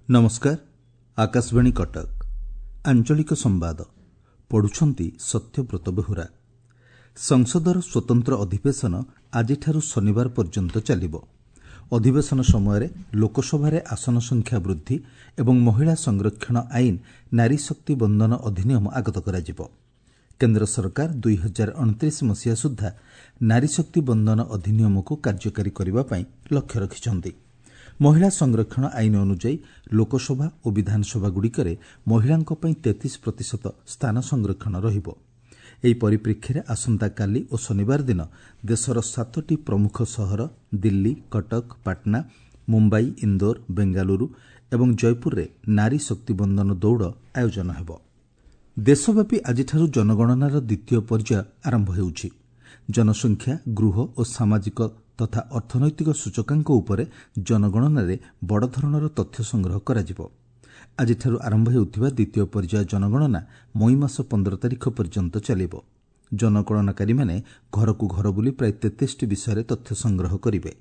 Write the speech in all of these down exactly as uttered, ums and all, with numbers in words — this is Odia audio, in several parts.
ନମସ୍କାର, ଆକାଶବାଣୀ କଟକ, ଆଞ୍ଚଳିକ ସମ୍ବାଦ ପଢୁଛନ୍ତି ସତ୍ୟବ୍ରତ ବେହୁରା। ସଂସଦର ସ୍ୱତନ୍ତ୍ର ଅଧିବେଶନ ଆଜିଠାରୁ ଶନିବାର ପର୍ଯ୍ୟନ୍ତ ଚାଲିବ। ଅଧିବେଶନ ସମୟରେ ଲୋକସଭାରେ ଆସନ ସଂଖ୍ୟା ବୃଦ୍ଧି ଏବଂ ମହିଳା ସଂରକ୍ଷଣ ଆଇନ ନାରୀ ଶକ୍ତି ବନ୍ଦନ ଅଧିନିୟମ ଆଗତ କରାଯିବ। କେନ୍ଦ୍ର ସରକାର ଦୁଇ ହଜାର ଅଣତିରିଶ ମସିହା ସୁଦ୍ଧା ନାରୀ ଶକ୍ତି ବନ୍ଦନ ଅଧିନିୟମକୁ କାର୍ଯ୍ୟକାରୀ କରିବା ପାଇଁ ଲକ୍ଷ୍ୟ ରଖିଛନ୍ତି। ମହିଳା ସଂରକ୍ଷଣ ଆଇନ ଅନୁଯାୟୀ ଲୋକସଭା ଓ ବିଧାନସଭାଗୁଡ଼ିକରେ ମହିଳାଙ୍କ ପାଇଁ ତେତିଶ ପ୍ରତିଶତ ସ୍ଥାନ ସଂରକ୍ଷଣ ରହିବ। ଏହି ପରିପ୍ରେକ୍ଷୀରେ ଆସନ୍ତାକାଲି ଓ ଶନିବାର ଦିନ ଦେଶର ସାତଟି ପ୍ରମୁଖ ସହର ଦିଲ୍ଲୀ, କଟକ, ପାଟନା, ମୁମ୍ବାଇ, ଇନ୍ଦୋର, ବେଙ୍ଗାଲୁରୁ ଏବଂ ଜୟପୁରରେ ନାରୀ ଶକ୍ତି ବନ୍ଦନ ଦୌଡ଼ ଆୟୋଜନ ହେବ। ଦେଶବ୍ୟାପୀ ଆଜିଠାରୁ ଜନଗଣନାର ଦ୍ୱିତୀୟ ପର୍ଯ୍ୟାୟ ଆରମ୍ଭ ହେଉଛି। ଜନସଂଖ୍ୟା, ଗୃହ ଓ ସାମାଜିକ ତଥା ଅର୍ଥନୈତିକ ସୂଚକାଙ୍କ ଉପରେ ଜନଗଣନାରେ ବଡ଼ ଧରଣର ତଥ୍ୟ ସଂଗ୍ରହ କରାଯିବ। ଆଜିଠାରୁ ଆରମ୍ଭ ହେଉଥିବା ଦ୍ୱିତୀୟ ପର୍ଯ୍ୟାୟ ଜନଗଣନା ମଇ ମାସ ପନ୍ଦର ତାରିଖ ପର୍ଯ୍ୟନ୍ତ ଚାଲିବ। ଜନଗଣନାକାରୀମାନେ ଘରକୁ ଘର ବୁଲି ପ୍ରାୟ ତେତିଶଟି ବିଷୟରେ ତଥ୍ୟ ସଂଗ୍ରହ କରିବେ।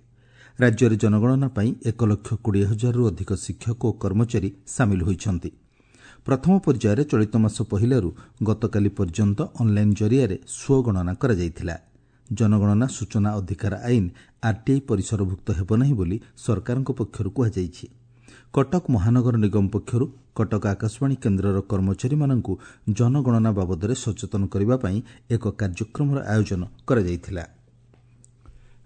ରାଜ୍ୟରେ ଜନଗଣନା ପାଇଁ ଏକ ଲକ୍ଷ କୋଡ଼ିଏ ହଜାରରୁ ଅଧିକ ଶିକ୍ଷକ ଓ କର୍ମଚାରୀ ସାମିଲ ହୋଇଛନ୍ତି। ପ୍ରଥମ ପର୍ଯ୍ୟାୟରେ ଚଳିତ ମାସ ପହିଲାରୁ ଗତକାଲି ପର୍ଯ୍ୟନ୍ତ ଅନ୍ଲାଇନ୍ ଜରିଆରେ ସ୍ୱଗଣନା କରାଯାଇଥିଲା। ଜନଗଣନା ସୂଚନା ଅଧିକାର ଆଇନ ଆର୍ଟିଆଇ ପରିସରଭୁକ୍ତ ହେବ ନାହିଁ ବୋଲି ସରକାରଙ୍କ ପକ୍ଷରୁ କୁହାଯାଇଛି। କଟକ ମହାନଗର ନିଗମ ପକ୍ଷରୁ କଟକ ଆକାଶବାଣୀ କେନ୍ଦ୍ରର କର୍ମଚାରୀମାନଙ୍କୁ ଜନଗଣନା ବାବଦରେ ସଚେତନ କରିବା ପାଇଁ ଏକ କାର୍ଯ୍ୟକ୍ରମର ଆୟୋଜନ କରାଯାଇଥିଲା।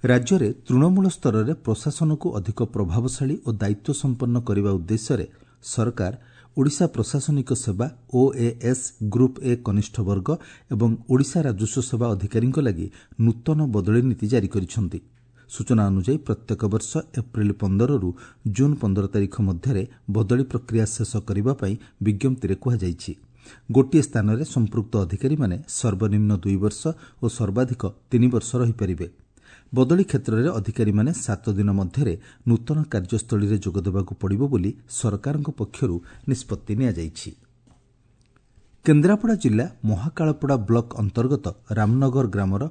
ରାଜ୍ୟରେ ତୃଣମୂଳ ସ୍ତରରେ ପ୍ରଶାସନକୁ ଅଧିକ ପ୍ରଭାବଶାଳୀ ଓ ଦାୟିତ୍ୱ ସମ୍ପନ୍ନ କରିବା ଉଦ୍ଦେଶ୍ୟରେ ସରକାର ଓଡ଼ିଶା ପ୍ରଶାସନିକ ସେବା ଓଏଏସ୍ ଗ୍ରୁପ୍ ଏ କନିଷ୍ଠ ବର୍ଗ ଏବଂ ଓଡ଼ିଶା ରାଜସ୍ୱ ସେବା ଅଧିକାରୀଙ୍କ ଲାଗି ନୂତନ ବଦଳି ନୀତି ଜାରି କରିଛନ୍ତି। ସୂଚନା ଅନୁଯାୟୀ ପ୍ରତ୍ୟେକ ବର୍ଷ ଏପ୍ରିଲ ପନ୍ଦରରୁ ଜୁନ୍ ପନ୍ଦର ତାରିଖ ମଧ୍ୟରେ ବଦଳି ପ୍ରକ୍ରିୟା ଶେଷ କରିବା ପାଇଁ ବିଜ୍ଞପ୍ତିରେ କୁହାଯାଇଛି। ଗୋଟିଏ ସ୍ଥାନରେ ସମ୍ପୃକ୍ତ ଅଧିକାରୀମାନେ ସର୍ବନିମ୍ନ ଦୁଇ ବର୍ଷ ଓ ସର୍ବାଧିକ ତିନି ବର୍ଷ ରହିପାରିବେ। ବଦଳି କ୍ଷେତ୍ରରେ ଅଧିକାରୀମାନେ ସାତ ଦିନ ମଧ୍ୟରେ ନୂତନ କାର୍ଯ୍ୟସ୍ଥଳୀରେ ଯୋଗଦେବାକୁ ପଡ଼ିବ ବୋଲି ସରକାରଙ୍କ ପକ୍ଷରୁ ନିଷ୍ପତ୍ତି ନିଆଯାଇଛି। କେନ୍ଦ୍ରାପଡ଼ା ଜିଲ୍ଲା ମହାକାଳପଡ଼ା ବ୍ଲକ ଅନ୍ତର୍ଗତ ରାମନଗର ଗ୍ରାମର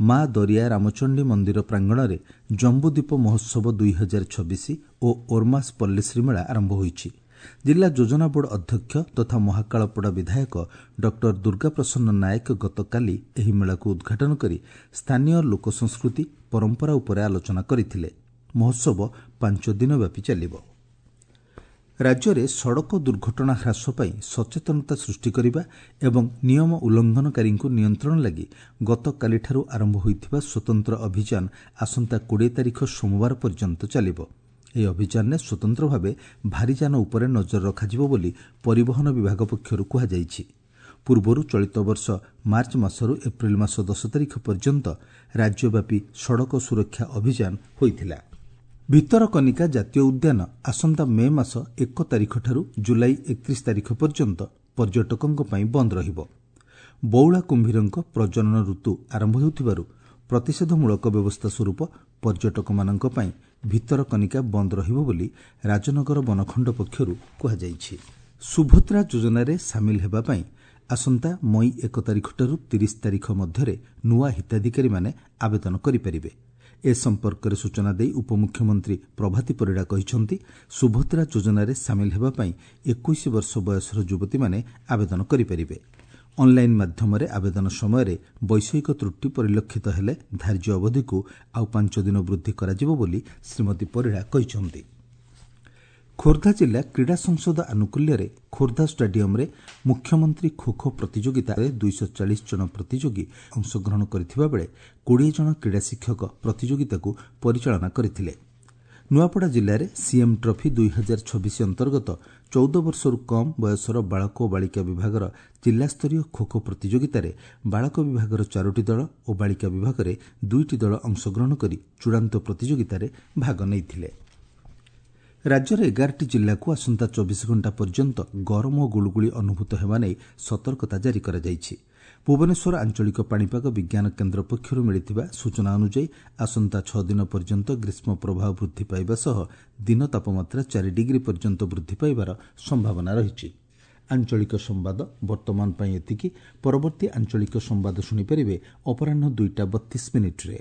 ମା ଦରିଆ ରାମଚଣ୍ଡୀ ମନ୍ଦିର ପ୍ରାଙ୍ଗଣରେ ଜମ୍ବୁଦ୍ୱୀପ ମହୋତ୍ସବ ଦୁଇ ହଜାର ଛବିଶ ଓ ଓର୍ମାସ ପଲ୍ଲୀଶ୍ରୀ ମେଳା ଆରମ୍ଭ ହୋଇଛି। ଜିଲ୍ଲା ଯୋଜନା ବୋର୍ଡ ଅଧ୍ୟକ୍ଷ ତଥା ମହାକାଳପଡ଼ା ବିଧାୟକ ଡକ୍ଟର ଦୁର୍ଗାପ୍ରସନ୍ନ ନାୟକ ଗତକାଲି ଏହି ମେଳାକୁ ଉଦ୍ଘାଟନ କରି ସ୍ଥାନୀୟ ଲୋକସଂସ୍କୃତି ପରମ୍ପରା ଉପରେ ଆଲୋଚନା କରିଥିଲେ। ମହୋତ୍ସବ ପାଞ୍ଚ ଦିନ ବ୍ୟାପୀ ଚାଲିବ। ରାଜ୍ୟରେ ସଡ଼କ ଦୁର୍ଘଟଣା ହ୍ରାସ ପାଇଁ ସଚେତନତା ସୃଷ୍ଟି କରିବା ଏବଂ ନିୟମ ଉଲ୍ଲଂଘନକାରୀଙ୍କୁ ନିୟନ୍ତ୍ରଣ ଲାଗି ଗତକାଲିଠାରୁ ଆରମ୍ଭ ହୋଇଥିବା ସ୍ୱତନ୍ତ୍ର ଅଭିଯାନ ଆସନ୍ତା କୋଡ଼ିଏ ତାରିଖ ସୋମବାର ପର୍ଯ୍ୟନ୍ତ ଚାଲିବ। ଏହି ଅଭିଯାନରେ ସ୍ୱତନ୍ତ୍ର ଭାବେ ଭାରିଯାନ ଉପରେ ନଜର ରଖାଯିବ ବୋଲି ପରିବହନ ବିଭାଗ ପକ୍ଷରୁ କୁହାଯାଇଛି। ପୂର୍ବରୁ ଚଳିତ ବର୍ଷ ମାର୍ଚ୍ଚ ମାସରୁ ଏପ୍ରିଲ ମାସ ଦଶ ତାରିଖ ପର୍ଯ୍ୟନ୍ତ ରାଜ୍ୟବ୍ୟାପୀ ସଡ଼କ ସୁରକ୍ଷା ଅଭିଯାନ ହୋଇଥିଲା। ଭିତରକନିକା ଜାତୀୟ ଉଦ୍ୟାନ ଆସନ୍ତା ମେ ମାସ ଏକ ତାରିଖଠାରୁ ଜୁଲାଇ ଏକତିରିଶ ତାରିଖ ପର୍ଯ୍ୟନ୍ତ ପର୍ଯ୍ୟଟକଙ୍କ ପାଇଁ ବନ୍ଦ ରହିବ। ବଉଳା କୁମ୍ଭୀରଙ୍କ ପ୍ରଜନନ ଋତୁ ଆରମ୍ଭ ହେଉଥିବାରୁ ପ୍ରତିଷେଧମୂଳକ ବ୍ୟବସ୍ଥା ସ୍ୱରୂପ ପର୍ଯ୍ୟଟକମାନଙ୍କ ପାଇଁ ଭିତରକନିକା ବନ୍ଦ ରହିବ ବୋଲି ରାଜନଗର ବନଖଣ୍ଡ ପକ୍ଷରୁ କୁହାଯାଇଛି। ସୁଭଦ୍ରା ଯୋଜନାରେ ସାମିଲ ହେବା ପାଇଁ ଆସନ୍ତା ମଇ ଏକ ତାରିଖଠାରୁ ତିରିଶ ତାରିଖ ମଧ୍ୟରେ ନୂଆ ହିତାଧିକାରୀମାନେ ଆବେଦନ କରିପାରିବେ। ଏ ସମ୍ପର୍କରେ ସୂଚନା ଦେଇ ଉପମୁଖ୍ୟମନ୍ତ୍ରୀ ପ୍ରଭାତୀ ପରିଡ଼ା କହିଛନ୍ତି, ସୁଭଦ୍ରା ଯୋଜନାରେ ସାମିଲ ହେବା ପାଇଁ ଏକୋଇଶ ବର୍ଷ ବୟସର ଯୁବତୀମାନେ ଆବେଦନ କରିପାରିବେ। ଅନ୍ଲାଇନ୍ ମାଧ୍ୟମରେ ଆବେଦନ ସମୟରେ ବୈଷୟିକ ତ୍ରୁଟି ପରିଲକ୍ଷିତ ହେଲେ ଧାର୍ଯ୍ୟ ଅବଧିକୁ ଆଉ ପାଞ୍ଚ ଦିନ ବୃଦ୍ଧି କରାଯିବ ବୋଲି ଶ୍ରୀମତୀ ପରିଡ଼ା କହିଛନ୍ତି। ଖୋର୍ଦ୍ଧା ଜିଲ୍ଲା କ୍ରୀଡ଼ା ସଂସଦ ଆନୁକୂଲ୍ୟରେ ଖୋର୍ଦ୍ଧା ଷ୍ଟାଡିୟମ୍ରେ ମୁଖ୍ୟମନ୍ତ୍ରୀ ଖୋଖୋ ପ୍ରତିଯୋଗିତାରେ ଦୁଇଶହ ଚାଳିଶ ଜଣ ପ୍ରତିଯୋଗୀ ଅଂଶଗ୍ରହଣ କରିଥିବା ବେଳେ କୋଡ଼ିଏ ଜଣ କ୍ରୀଡ଼ା ଶିକ୍ଷକ ପ୍ରତିଯୋଗିତାକୁ ପରିଚାଳନା କରିଥିଲେ। ନୂଆପଡ଼ା ଜିଲ୍ଲାରେ ସିଏମ୍ ଟ୍ରଫି ଦୁଇ ହଜାର ଛବିଶ ଅନ୍ତର୍ଗତ ଚଉଦ ବର୍ଷରୁ କମ୍ ବୟସର ବାଳକ ଓ ବାଳିକା ବିଭାଗର ଜିଲ୍ଲାସ୍ତରୀୟ ଖୋଖୋ ପ୍ରତିଯୋଗିତାରେ ବାଳକ ବିଭାଗର ଚାରୋଟି ଦଳ ଓ ବାଳିକା ବିଭାଗରେ ଦୁଇଟି ଦଳ ଅଂଶଗ୍ରହଣ କରି ଚୂଡ଼ାନ୍ତ ପ୍ରତିଯୋଗିତାରେ ଭାଗ ନେଇଥିଲେ। ରାଜ୍ୟର ଏଗାରଟି ଜିଲ୍ଲାକୁ ଆସନ୍ତା ଚବିଶ ଘଣ୍ଟା ପର୍ଯ୍ୟନ୍ତ ଗରମ ଓ ଗୁଳୁଗୁଳି ଅନୁଭୂତ ହେବା ନେଇ ସତର୍କତା ଜାରି କରାଯାଇଛି। ଭୁବନେଶ୍ୱର ଆଞ୍ଚଳିକ ପାଣିପାଗ ବିଜ୍ଞାନ କେନ୍ଦ୍ର ପକ୍ଷରୁ ମିଳିଥିବା ସୂଚନା ଅନୁଯାୟୀ ଆସନ୍ତା ଛଅ ଦିନ ପର୍ଯ୍ୟନ୍ତ ଗ୍ରୀଷ୍ମ ପ୍ରବାହ ବୃଦ୍ଧି ପାଇବା ସହ ଦିନ ତାପମାତ୍ରା ଚାରି ଡିଗ୍ରୀ ପର୍ଯ୍ୟନ୍ତ ବୃଦ୍ଧି ପାଇବାର ସମ୍ଭାବନା ରହିଛି। ଆଞ୍ଚଳିକ ସମ୍ବାଦ ବର୍ତ୍ତମାନ ପାଇଁ ଏତିକି। ପରବର୍ତ୍ତୀ ଆଞ୍ଚଳିକ ସମ୍ବାଦ ଶୁଣିପାରିବେ ଅପରାହ୍ନ ଦୁଇଟା ବତିଶ ମିନିଟ୍ରେ।